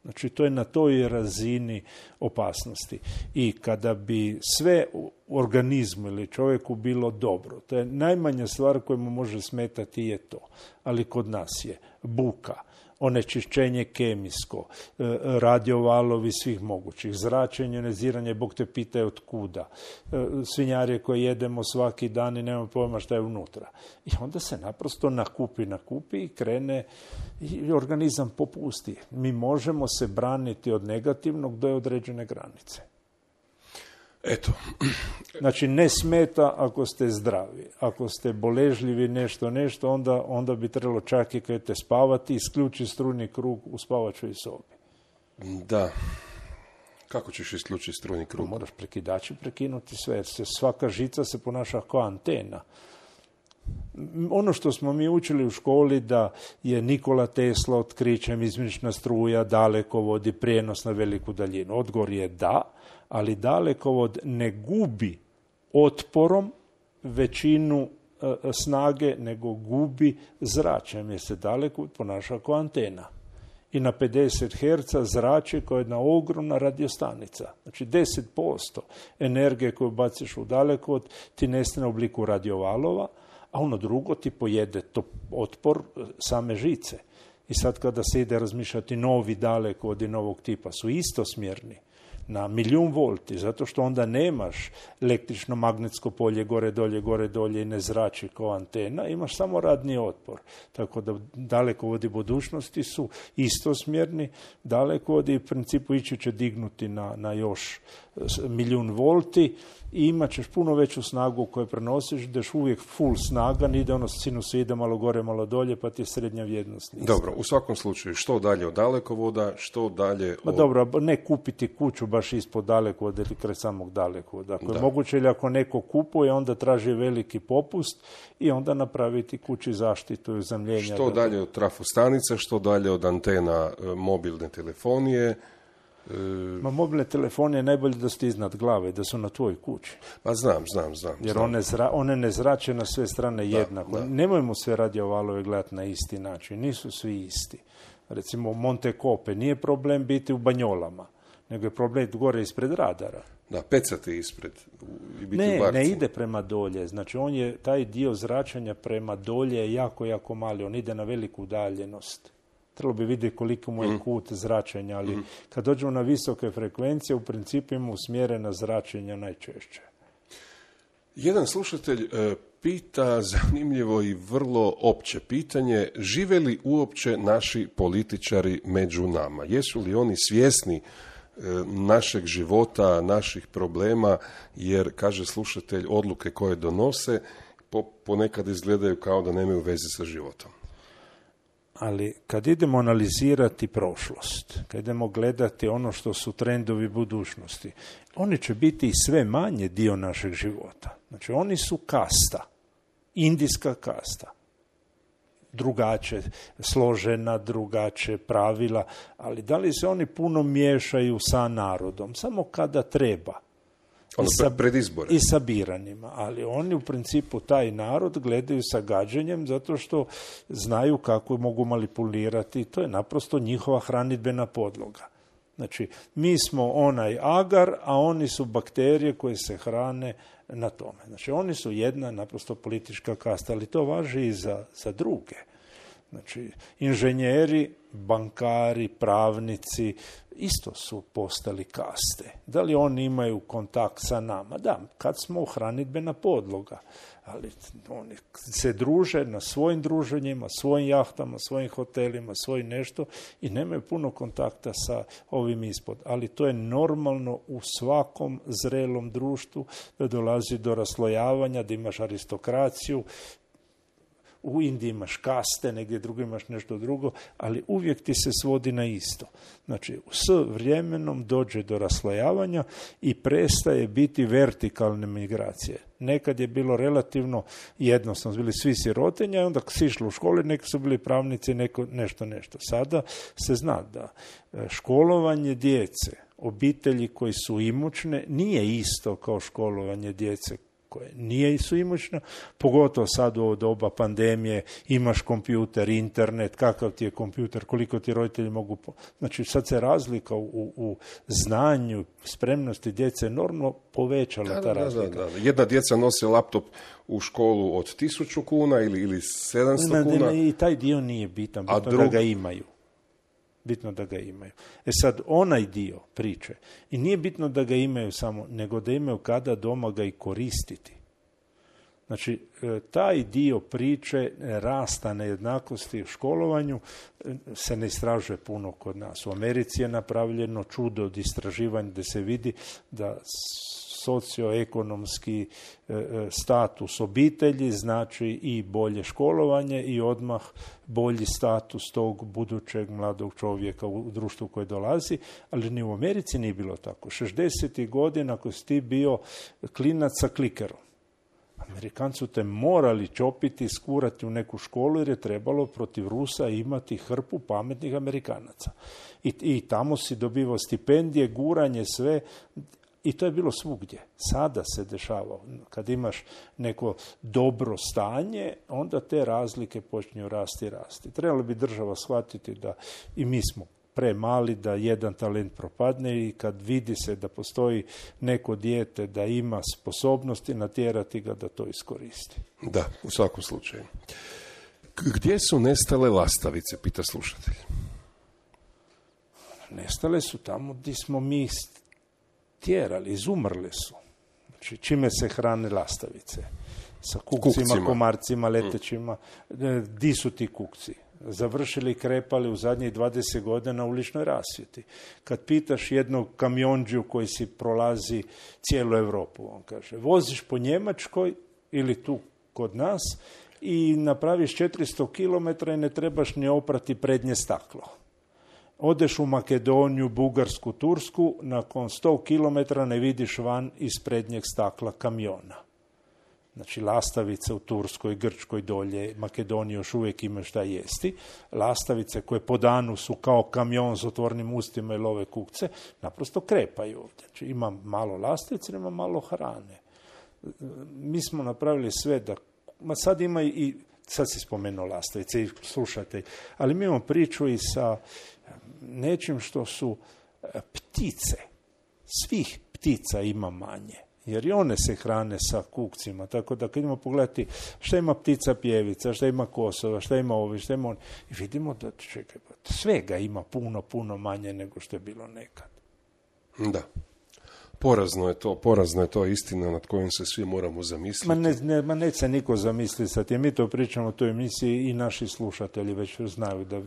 Znači, to je na toj razini opasnosti. I kada bi sve u organizmu ili čovjeku bilo dobro, to je najmanja stvar koja mu može smetati je to. Ali kod nas je buka, onečišćenje kemijsko, radiovalovi svih mogućih, zračenje, ioniziranje, Bog te pita od kuda, svinjarije koje jedemo svaki dan i nemamo pojma šta je unutra. I onda se naprosto nakupi i krene i organizam popusti. Mi možemo se braniti od negativnog do određene granice. Eto. Znači, ne smeta ako ste zdravi. Ako ste boležljivi nešto, onda bi trebalo čak i kad te spavati, isključi strujni krug u spavačoj sobi. Da. Kako ćeš isključiti strujni krug? Moraš prekidači prekinuti sve, jer svaka žica se ponaša kao antena. Ono što smo mi učili u školi, da je Nikola Tesla otkrićem izmjenična struja, dalekovod i prijenos na veliku daljinu. Odgovor je da, ali dalekovod ne gubi otporom većinu snage, nego gubi zračenjem, jer se dalekovod ponaša kao antena. I na 50 Hz zrači kao jedna ogromna radiostanica. Znači 10% energije koju baciš u dalekovod ti nestane u obliku radiovalova, a ono drugo ti pojede to otpor same žice. I sad kada se ide razmišljati novi dalekovodi novog tipa su istosmjerni na 1.000.000 volti, zato što onda nemaš električno magnetsko polje gore dolje i ne zrači kao antena, imaš samo radni otpor. Tako da dalekovodi budućnosti su istosmjerni, dalekovodi u principu ići će dignuti na još 1.000.000 volti i imat ćeš puno veću snagu koju prenosiš, daš uvijek full snaga, ne ide ono sinusoida malo gore, malo dolje, pa ti je srednja vrijednost. Dobro, u svakom slučaju, što dalje od dalekovoda, što dalje od... Dobro, ne kupiti kuću baš ispod dalekovoda ili kraj samog dalekovoda. Ako je moguće, ili ako neko kupuje, onda traži veliki popust i onda napraviti kući zaštitu i uzemljenja. Što dalje od trafostanica, što dalje od antena mobilne telefonije. Mobilne telefone je najbolje da ste iznad glave, da su na tvojoj kući. Pa znam. Jer one ne zrače na sve strane jednako. Da. Nemojmo sve radiovalove gledati na isti način. Nisu svi isti. Recimo Monte Cope nije problem biti u Banjolama, nego je problem gore ispred radara. Da, pecati ispred i biti u barci. Ne ide prema dolje. Znači on je, taj dio zračenja prema dolje je jako, jako mali. On ide na veliku udaljenost. Trebalo bi vidjeti koliko mu je kut zračenja, ali kad dođemo na visoke frekvencije, u principu imamo usmjerena zračenja najčešće. Jedan slušatelj pita zanimljivo i vrlo opće pitanje, žive li uopće naši političari među nama? Jesu li oni svjesni našeg života, naših problema, jer, kaže slušatelj, odluke koje donose ponekad izgledaju kao da nemaju veze sa životom. Ali kad idemo analizirati prošlost, kad idemo gledati ono što su trendovi budućnosti, oni će biti i sve manje dio našeg života. Znači, oni su kasta, indijska kasta. Drugače složena, drugače pravila, ali da li se oni puno miješaju sa narodom? Samo kada treba. Pred izbore. I sa biranjima, ali oni u principu taj narod gledaju sa gađenjem zato što znaju kako mogu manipulirati. To je naprosto njihova hranidbena podloga. Znači, mi smo onaj agar, a oni su bakterije koje se hrane na tome. Znači, oni su jedna naprosto politička kasta, ali to važi i za druge. Znači, inženjeri, bankari, pravnici isto su postali kaste. Da li oni imaju kontakt sa nama? Da, kad smo hranidbena podloga. Ali oni se druže na svojim druženjima, svojim jahtama, svojim hotelima, svojim nešto i nemaju puno kontakta sa ovim ispod. Ali to je normalno u svakom zrelom društvu da dolazi do raslojavanja, da imaš aristokraciju. U Indiji imaš kaste, negdje drugo imaš nešto drugo, ali uvijek ti se svodi na isto. Znači, s vremenom dođe do raslojavanja i prestaje biti vertikalne migracije. Nekad je bilo relativno jednostavno, bili svi sirotinja i onda si išlo u školi, neki su bili pravnici, nešto. Sada se zna da školovanje djece, obitelji koji su imućne, nije isto kao školovanje djece koje nije su imućna, pogotovo sad u ovo doba pandemije, imaš kompjuter, internet, kakav ti je kompjuter, koliko ti roditelji mogu... Znači, sad se razlika u znanju, spremnosti djece enormno povećala ta razlika. Da. Jedna djeca nose laptop u školu od 1000 kuna ili 700 kuna. I taj dio nije bitan, bitno da ga imaju. Bitno da ga imaju. Sad, onaj dio priče, i nije bitno da ga imaju samo, nego da imaju kada doma ga i koristiti. Znači, taj dio priče rasta nejednakosti u školovanju se ne istražuje puno kod nas. U Americi je napravljeno čudo od istraživanja da se vidi da socioekonomski status obitelji znači i bolje školovanje i odmah bolji status tog budućeg mladog čovjeka u društvu koje dolazi, ali ni u Americi nije bilo tako. 60. godina ako si ti bio klinac sa klikerom, Amerikanci te morali čopiti, skurati u neku školu jer je trebalo protiv Rusa imati hrpu pametnih Amerikanaca. I tamo si dobivao stipendije, guranje, sve. I to je bilo svugdje. Sada se dešava. Kad imaš neko dobro stanje, onda te razlike počinju rasti. Trebalo bi država shvatiti da i mi smo premali da jedan talent propadne i kad vidi se da postoji neko dijete da ima sposobnosti, natjerati ga da to iskoristi. Da, u svakom slučaju. Gdje su nestale lastavice, pita slušatelj? Nestale su tamo gdje smo mi tjerali, izumrle su. Znači, čime se hrane lastavice? Sa kukcima, komarcima, letećima. Di su ti kukci? Završili i krepali u zadnjih 20 godina u uličnoj rasvjeti. Kad pitaš jednog kamionđiju koji si prolazi cijelu Europu, on kaže, voziš po Njemačkoj ili tu kod nas i napraviš 400 km i ne trebaš ni oprati prednje staklo. Odeš u Makedoniju, Bugarsku, Tursku, nakon 100 km ne vidiš van iz prednjeg stakla kamiona. Znači, lastavice u Turskoj, Grčkoj, dolje, Makedoniji još uvijek ima šta jesti. Lastavice koje po danu su kao kamion s otvornim ustima i love kukce, naprosto krepaju ovdje. Znači, ima malo lastavice, ima malo hrane. Mi smo napravili sve da... sad ima i... Sad si spomenuo lastavice i slušate. Ali mi imamo priču i sa nečim što su ptice. Svih ptica ima manje. Jer i one se hrane sa kukcima. Tako da kad idemo pogledati šta ima ptica pjevica, šta ima kosova, šta ima ovi, šta ima oni. I vidimo da svega ima puno manje nego što je bilo nekad. Da. Porazno je to istina nad kojom se svi moramo zamisliti. Neće se niko zamisliti sad, jer mi to pričamo u toj emisiji i naši slušatelji već znaju da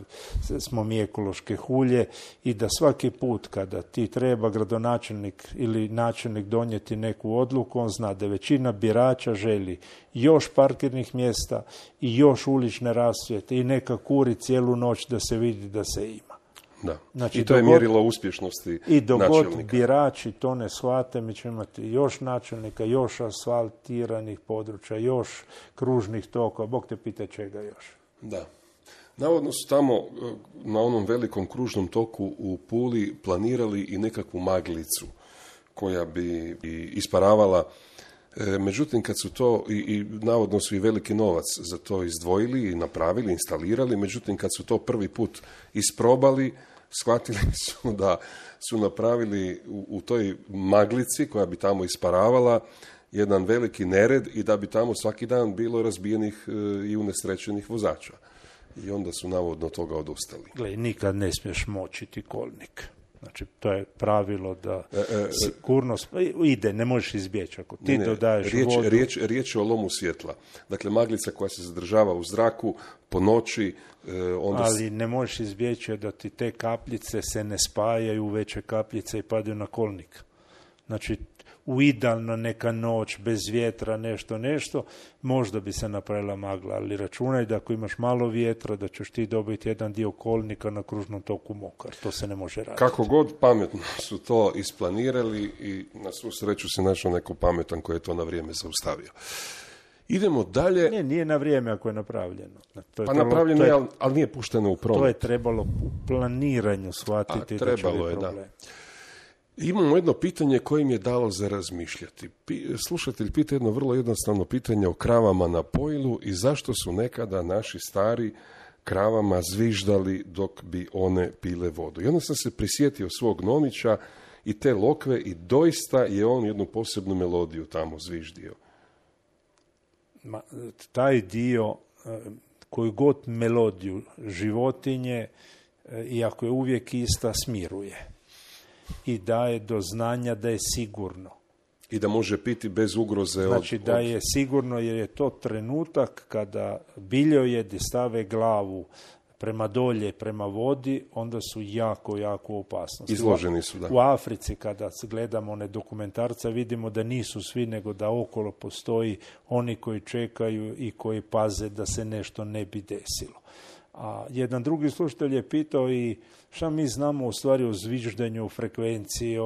smo mi ekološke hulje i da svaki put kada ti treba gradonačelnik ili načelnik donijeti neku odluku, on zna da većina birača želi još parkirnih mjesta i još ulične rasvjete i neka kuri cijelu noć da se vidi da se ima. Da. Znači, i to je mjerilo uspješnosti načelnika. I dok god birači to ne shvate, mi ćemo imati još načelnika, još asfaltiranih područja, još kružnih tokova, Bog te pita čega još. Da. Navodno su tamo na onom velikom kružnom toku u Puli planirali i nekakvu maglicu koja bi isparavala. Međutim, kad su to, i navodno su i veliki novac za to izdvojili i napravili, instalirali, međutim, kad su to prvi put isprobali, shvatili su da su napravili u toj maglici koja bi tamo isparavala jedan veliki nered i da bi tamo svaki dan bilo razbijenih i unesrećenih vozača. I onda su navodno toga odustali. Gle, nikad ne smiješ močiti kolnik. Znači, to je pravilo da sigurnost ide, ne možeš izbjeći. Ako ti dodaješ vodu... Riječ je o lomu svjetla. Dakle, maglica koja se zadržava u zraku po noći... Ali ne možeš izbjeći da ti te kapljice se ne spajaju u veće kapljice i padaju na kolnik. Znači, u idealna neka noć, bez vjetra, nešto, možda bi se napravila magla, ali računaj da ako imaš malo vjetra, da ćeš ti dobiti jedan dio kolnika na kružnom toku mokar. To se ne može raditi. Kako god pametno su to isplanirali i na svu sreću se našao neko pametan koji je to na vrijeme zaustavio. Idemo dalje. Nije na vrijeme ako je napravljeno. Napravljeno je, ali nije pušteno u promet. To je trebalo u planiranju shvatiti. Trebalo je, da. Imamo jedno pitanje koje mi je dalo za razmišljati. Slušatelj pita jedno vrlo jednostavno pitanje o kravama na pojilu i zašto su nekada naši stari kravama zviždali dok bi one pile vodu. I onda sam se prisjetio svog nomića i te lokve i doista je on jednu posebnu melodiju tamo zviždio. Taj dio, koju god melodiju životinje, iako je uvijek ista, smiruje. I daje do znanja da je sigurno. I da može piti bez ugroze. Znači da je sigurno, jer je to trenutak kada biljojedi stave glavu prema dolje, prema vodi, onda su jako, jako opasnosti. Izloženi su, da. U Africi, kada gledamo one dokumentarce, vidimo da nisu svi, nego da okolo postoji oni koji čekaju i koji paze da se nešto ne bi desilo. A jedan drugi slušatelj je pitao i šta mi znamo u stvari o zviždanju, frekvenciji,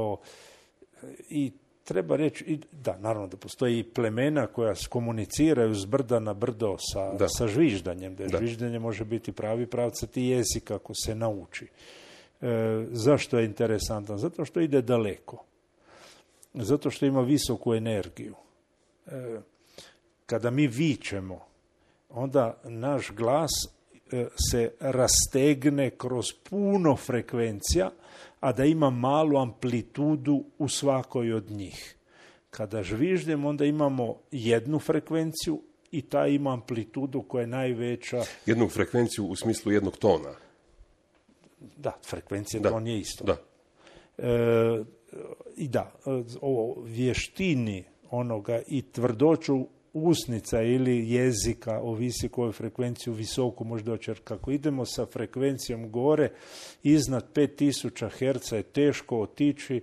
i treba reći, da, naravno da postoji i plemena koja komuniciraju s brda na brdo sa žviždanjem, da žviždanje može biti pravi pravcati jezik ako se nauči. Zašto je interesantan? Zato što ide daleko. Zato što ima visoku energiju. Kada mi vičemo, onda naš glas se rastegne kroz puno frekvencija, a da ima malu amplitudu u svakoj od njih. Kada žviždemo, onda imamo jednu frekvenciju i ta ima amplitudu koja je najveća. Jednu frekvenciju u smislu jednog tona. Da, frekvencija ton je isto. Da. I da, o vještini onoga i tvrdoću usnica ili jezika, ovisi koju frekvenciju visoku može doći. Jer kako idemo sa frekvencijom gore, iznad 5000 Hz je teško otići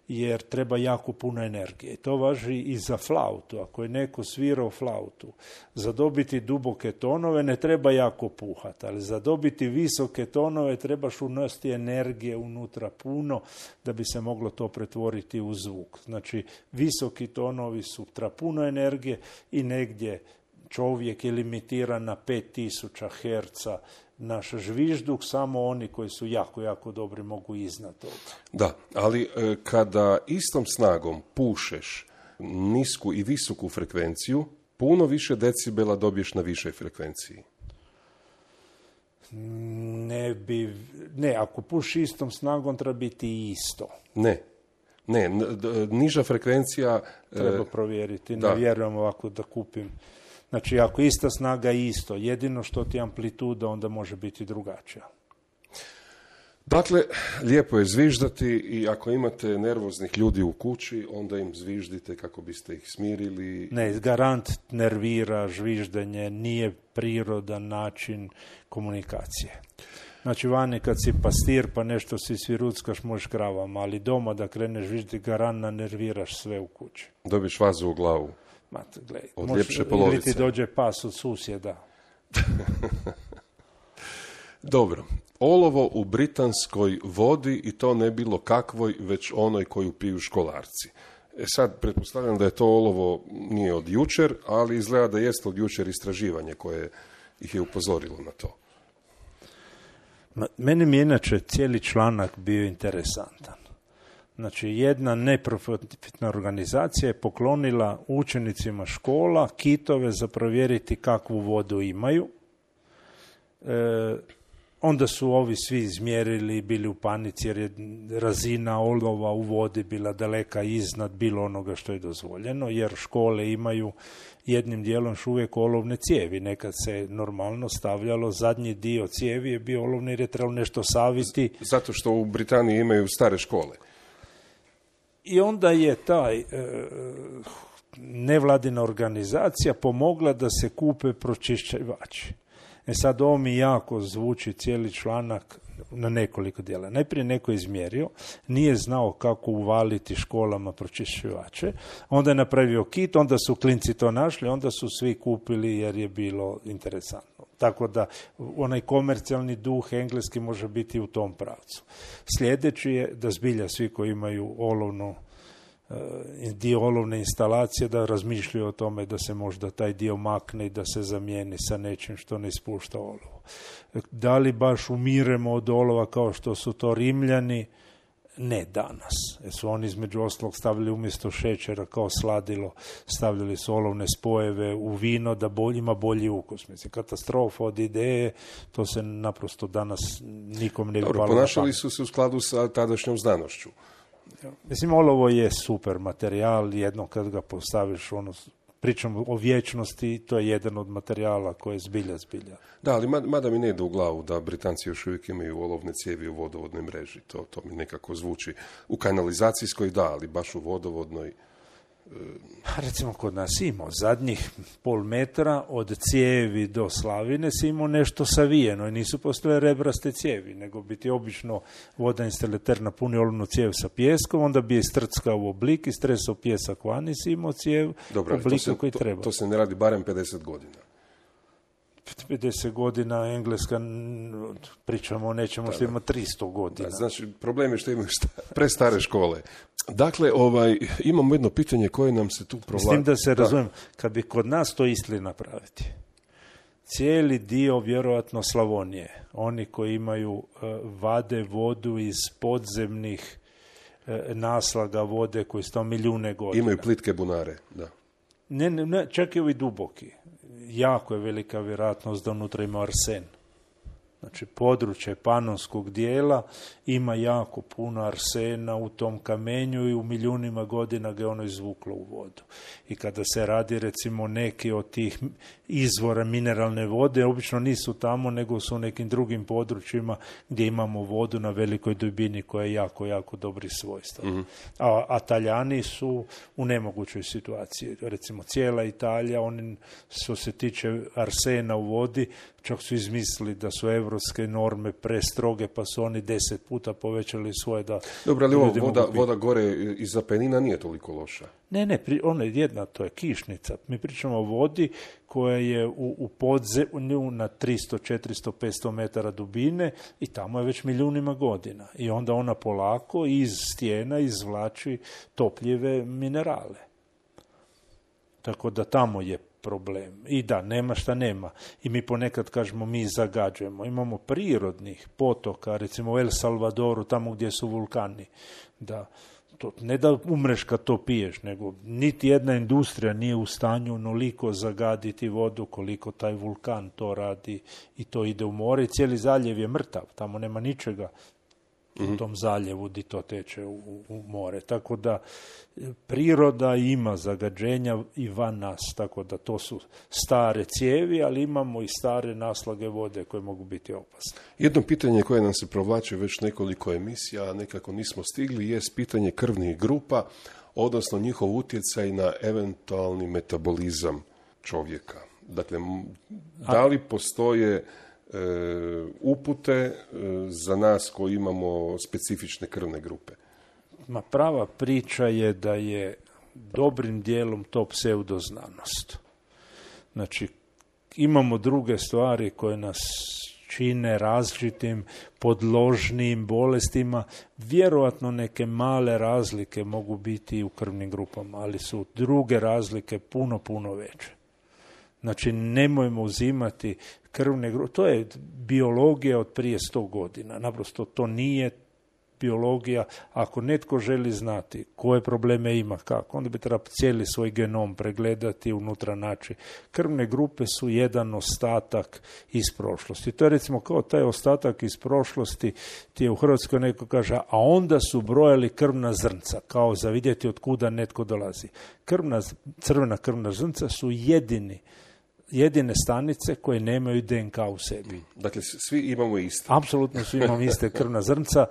jer treba jako puno energije. To važi i za flautu. Ako je neko svirao flautu, za dobiti duboke tonove ne treba jako puhati, ali za dobiti visoke tonove trebaš unositi energije unutra puno da bi se moglo to pretvoriti u zvuk. Znači, visoki tonovi su puno energije i negdje čovjek je limitiran na 5000 Hz naš žvižduk, samo oni koji su jako, jako dobri mogu iznad toga. Da, ali kada istom snagom pušeš nisku i visoku frekvenciju, puno više decibela dobiješ na višoj frekvenciji. Ne, ako pušiš istom snagom treba biti isto. Ne, niža frekvencija... Treba provjeriti, ne vjerujem ovako da kupim. Znači, ako ista snaga je isto, jedino što ti amplituda onda može biti drugačija. Dakle, lijepo je zviždati i ako imate nervoznih ljudi u kući, onda im zviždite kako biste ih smirili. Ne, garant nervira, zviždenje nije prirodan način komunikacije. Znači, vani kad si pastir pa nešto si sviruckaš, možeš kravama, ali doma da kreneš zvižditi, garant nerviraš sve u kući. Dobiš vazu u glavu. Gledaj, od ljepše polovice. Ili ti dođe pas od susjeda. Dobro. Olovo u britanskoj vodi i to ne bilo kakvoj, već onoj koju piju školarci. Sad, pretpostavljam da je to olovo nije od jučer, ali izgleda da jest od jučer istraživanje koje ih je upozorilo na to. Meni mi je inače cijeli članak bio interesantan. Znači, jedna neprofitna organizacija je poklonila učenicima škola kitove za provjeriti kakvu vodu imaju. Onda su ovi svi izmjerili i bili u panici jer je razina olova u vodi bila daleka iznad bilo onoga što je dozvoljeno, jer škole imaju jednim dijelom još uvijek olovne cijevi. Nekad se normalno stavljalo, zadnji dio cijevi je bio olovni jer je trebalo nešto saviti. Zato što u Britaniji imaju stare škole. I onda je taj nevladina organizacija pomogla da se kupe pročišćivači. Sad ovo mi jako zvuči cijeli članak na nekoliko dijela. Najprije neko izmjerio, nije znao kako uvaliti školama pročišćivače, onda je napravio kit, onda su klinci to našli, onda su svi kupili jer je bilo interesantno. Tako da onaj komercijalni duh engleski može biti u tom pravcu. Sljedeći je da zbilja svi koji imaju dio olovne instalacije da razmišljaju o tome da se možda taj dio makne i da se zamijeni sa nečim što ne ispušta olovo. Da li baš umiremo od olova kao što su to Rimljani? Ne danas. Jer su oni između ostalog stavili umjesto šećera kao sladilo, stavljali su olovne spojeve u vino da ima bolji ukus. Mislim, katastrofa od ideje, to se naprosto danas nikom ne bi palo na pamet. Ponašali su se u skladu sa tadašnjom znanošću. Mislim, olovo je super materijal, jednom kad ga postaviš, pričamo o vječnosti, to je jedan od materijala koji je zbilja. Da, ali mada mi ne ide u glavu da Britanci još uvijek imaju olovne cijevi u vodovodnoj mreži. To mi nekako zvuči. U kanalizacijskoj da, ali baš u vodovodnoj... Recimo kod nas imao zadnjih pol metra od cijevi do slavine si imao nešto savijeno i nisu postojale rebraste cijevi, nego bi ti obično voda instalater napuni olovnu cijev sa pijeskom, onda bi je strckao u oblik i stresao pijesak van i si imao cijev u obliku koji treba. To se ne radi barem 50 godina. 50 godina Engleska, pričamo o nečemu što ima 300 godina. Da, znači, problem je što imaju prestare škole. Dakle, imamo jedno pitanje koje nam se tu provlači. S tim da se razumijem, kad bi kod nas to istli napraviti, cijeli dio vjerojatno Slavonije, oni koji imaju vade vodu iz podzemnih naslaga vode koji su milijune godina. Imaju plitke bunare, da. Ne, čak i ovi duboki. Jako je velika vjerojatnost da unutra ima arsen. Znači, područje panonskog dijela ima jako puno arsena u tom kamenju i u milijunima godina ga je ono izvuklo u vodu. I kada se radi, recimo, neki od tih izvora mineralne vode, obično nisu tamo, nego su u nekim drugim područjima gdje imamo vodu na velikoj dubini koja je jako, jako dobri svojstva. Mm-hmm. A Taljani su u nemogućoj situaciji. Recimo, cijela Italija, oni, što se tiče arsena u vodi, čak su izmislili da su evropske norme prestroge, pa su oni 10 puta povećali svoje da... Dobro, ali voda gore iz Apenina nije toliko loša. Ne, ona je jedna, to je kišnica. Mi pričamo o vodi koja je u podzemlju na 300, 400, 500 metara dubine i tamo je već milijunima godina. I onda ona polako iz stijena izvlači topljive minerale. Tako da tamo je problem. I da, nema šta nema. I mi ponekad kažemo, mi zagađujemo. Imamo prirodnih potoka, recimo u El Salvadoru, tamo gdje su vulkani. Da, to, ne da umreš kad to piješ, nego niti jedna industrija nije u stanju onoliko zagaditi vodu koliko taj vulkan to radi i to ide u more. I cijeli zaljev je mrtav, tamo nema ničega. u tom zaljevu gdje to teče u more. Tako da priroda ima zagađenja i van nas, tako da to su stare cijevi, ali imamo i stare naslage vode koje mogu biti opasne. Jedno pitanje koje nam se provlači već nekoliko emisija, a nekako nismo stigli, je pitanje krvnih grupa, odnosno njihov utjecaj na eventualni metabolizam čovjeka. Dakle, da li postoje upute za nas koji imamo specifične krvne grupe? Prava priča je da je dobrim dijelom to pseudoznanost. Znači, imamo druge stvari koje nas čine različitim, podložnim bolestima. Vjerojatno neke male razlike mogu biti i u krvnim grupama, ali su druge razlike puno, puno veće. Znači, nemojmo uzimati krvne grupe. To je biologija od prije 100 godina. Naprosto to nije biologija. Ako netko želi znati koje probleme ima, kako, onda bi trebao cijeli svoj genom pregledati, unutra naći. Krvne grupe su jedan ostatak iz prošlosti. To je recimo kao taj ostatak iz prošlosti, ti je u Hrvatskoj neko kaže, a onda su brojali krvna zrnca, kao za vidjeti od kuda netko dolazi. Crvena krvna zrnca su jedine stanice koje nemaju DNK u sebi. Dakle, svi imamo iste. Apsolutno svi imamo iste krvna zrnca.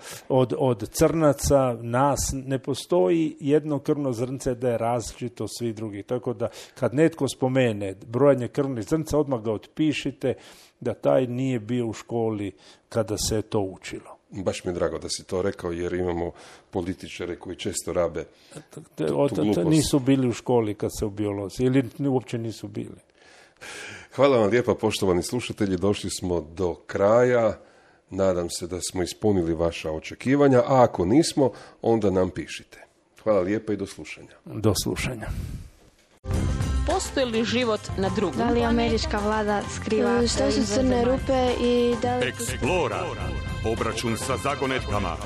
Od crnaca, nas, ne postoji jedno krvno zrnce da je različito od svih drugih. Tako da, kad netko spomene brojanje krvnih zrnca, odmah ga otpišite da taj nije bio u školi kada se to učilo. Baš mi je drago da si to rekao, jer imamo političare koji često rabe tu glupost. Nisu bili u školi kad se u biologiji, ili uopće nisu bili. Hvala vam lijepa, poštovani slušatelji, došli smo do kraja. Nadam se da smo ispunili vaša očekivanja, a ako nismo, onda nam pišite. Hvala lijepa i do slušanja. Do slušanja. Postoji li život na drugom? Da li američka vlada skriva Što su crne rupe i da li... Explora. Obračun sa zagonetkama.